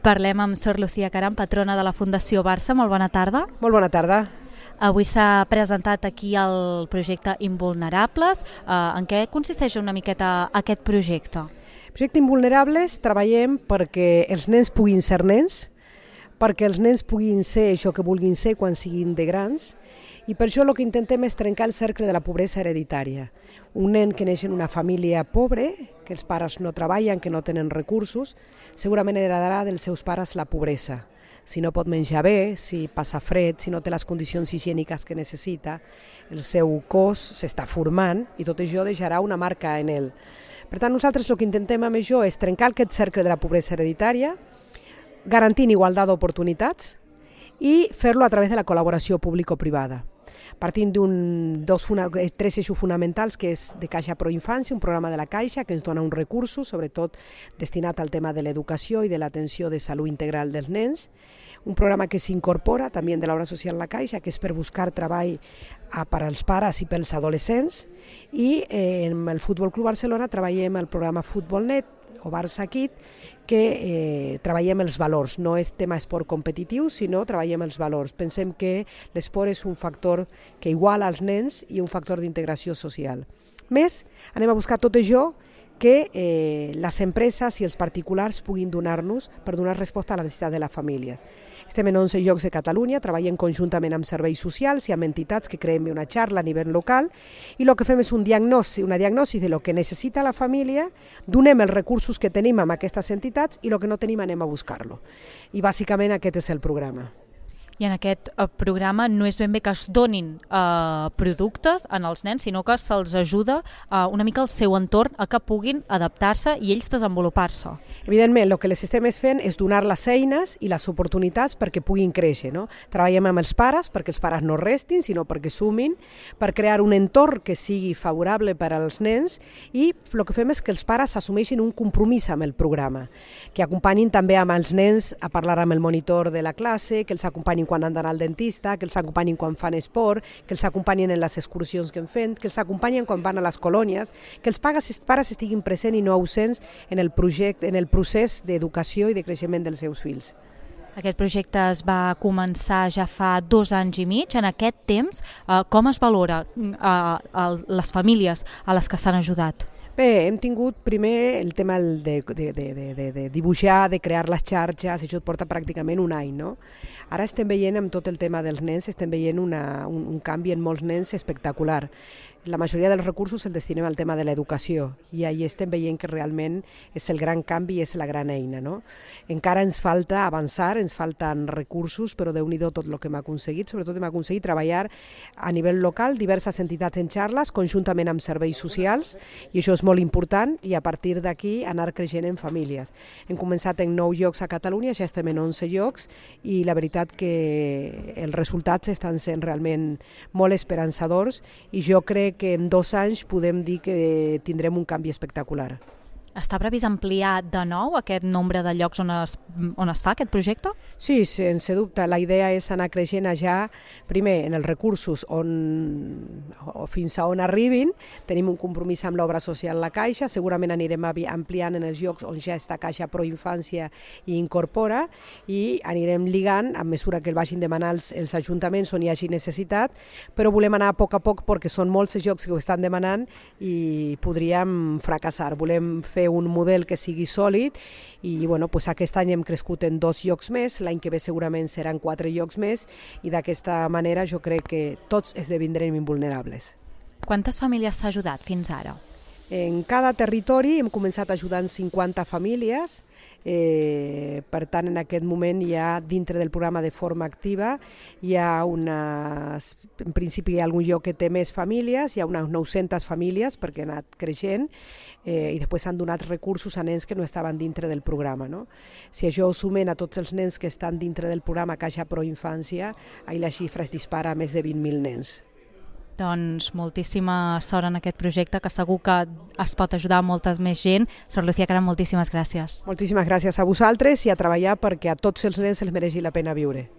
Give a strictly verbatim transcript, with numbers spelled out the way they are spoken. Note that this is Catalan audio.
Parlem amb Sor Lucía Caram, patrona de la Fundació Barça. Molt bona tarda. Molt bona tarda. Avui s'ha presentat aquí el projecte Invulnerables. Eh, en què consisteix una miqueta aquest projecte? El projecte Invulnerables treballem perquè els nens puguin ser nens, perquè els nens puguin ser això que vulguin ser quan siguin de grans, i per això el que intentem és trencar el cercle de la pobresa hereditària. Un nen que neix en una família pobre, que els pares no treballen, que no tenen recursos, segurament heredarà dels seus pares la pobresa. Si no pot menjar bé, si passa fred, si no té les condicions higièniques que necessita, el seu cos s'està formant i tot això deixarà una marca en ell. Per tant, nosaltres el que intentem amb això és trencar aquest cercle de la pobresa hereditària, garantint igualtat d'oportunitats i fer-lo a través de la col·laboració público-privada. Partint d'un dos tres eixos fonamentals, que és de Caixa Pro Infància, un programa de la Caixa que ens dona uns recursos, sobretot destinat al tema de l'educació i de l'atenció de salut integral dels nens, un programa que s'incorpora també de l'obra social La Caixa, que és per buscar treball per als pares i pels adolescents, i eh, en el Futbol Club Barcelona treballem el programa Futbolnet o Barça Kid, que eh, treballem els valors, no és tema esport competitiu, sinó treballem els valors. Pensem que l'esport és un factor que iguala als nens i un factor d'integració social. Més, anem a buscar tot això que eh, les empreses i els particulars puguin donar-nos per donar resposta a la necessitat de les famílies. Estem en onze llocs de Catalunya, treballem conjuntament amb serveis socials i amb entitats que creem una xarxa a nivell local, i el que fem és un diagnòstic, una diagnosi de lo que necessita la família, donem els recursos que tenim amb aquestes entitats i el que no tenim anem a buscar-lo. I bàsicament aquest és el programa. I en aquest programa no és ben bé que es donin eh, productes en els nens, sinó que se'ls ajuda eh, una mica al seu entorn a que puguin adaptar-se i ells desenvolupar-se. Evidentment, el que les estem fent és donar les eines i les oportunitats perquè puguin créixer. No? Treballem amb els pares perquè els pares no restin, sinó perquè sumin, per crear un entorn que sigui favorable per als nens, i el que fem és que els pares assumeixin un compromís amb el programa, que acompanyin també amb els nens a parlar amb el monitor de la classe, que els acompanyin quan han d'anar al dentista, que els acompanyin quan fan esport, que els acompanyin en les excursions que hem fet, que els acompanyin quan van a les colònies, que els pares, pares estiguin presents i no ausents en el projecte, en el procés d'educació i de creixement dels seus fills. Aquest projecte es va començar ja fa dos anys i mig. En aquest temps, eh, com es valora eh, a les famílies a les que s'han ajudat? Bé, hem tingut primer el tema de, de, de, de, de dibuixar, de crear les xarxes, això et porta pràcticament un any, no? Ara estem veient amb tot el tema dels nens, estem veient una, un, un canvi en molts nens espectacular. La majoria dels recursos els destinem al tema de l'educació i ahí estem veient que realment és el gran canvi i és la gran eina. No? Encara ens falta avançar, ens falten recursos, però Déu-n'hi-do tot el que hem aconseguit. Sobretot hem aconseguit treballar a nivell local, diverses entitats en xarles, conjuntament amb serveis socials, i això és molt important, i a partir d'aquí anar creixent en famílies. Hem començat en nou llocs a Catalunya, ja estem en onze llocs, i la veritat que els resultats estan sent realment molt esperançadors, i jo crec que en dos anys podem dir que tindrem un canvi espectacular. Està previst ampliar de nou aquest nombre de llocs on es, on es fa aquest projecte? Sí, sense dubte. La idea és anar creixent allà, primer, en els recursos on, o fins a on arribin. Tenim un compromís amb l'obra social La Caixa, segurament anirem ampliant en els llocs on ja està Caixa Pro Infància i incorpora, i anirem ligant a mesura que el vagin demanant els, els ajuntaments on hi hagi necessitat, però volem anar a poc a poc perquè són molts els llocs que ho estan demanant i podríem fracassar. Volem fer un model que sigui sòlid i bueno, pues aquest any hem crescut en dos llocs més, l'any que ve segurament seran quatre llocs més, i d'aquesta manera jo crec que tots esdevindrem invulnerables. Quantes famílies s'ha ajudat fins ara? En cada territori hem començat ajudant cinquanta famílies, eh, per tant en aquest moment hi ha dintre del programa de forma activa, hi ha unes, en principi hi ha algun lloc que té més famílies, hi ha unes nou-centes famílies perquè ha anat creixent, eh, i després s'han donat recursos a nens que no estaven dintre del programa. No? Si això ho sumen a tots els nens que estan dintre del programa Caixa Pro Infància, ahir la xifra es dispara a més de vint mil nens. Doncs moltíssima sort en aquest projecte, que segur que es pot ajudar a molta més gent. Sor Lucía Caram, moltíssimes gràcies. Moltíssimes gràcies a vosaltres i a treballar perquè a tots els nens els mereixi la pena viure.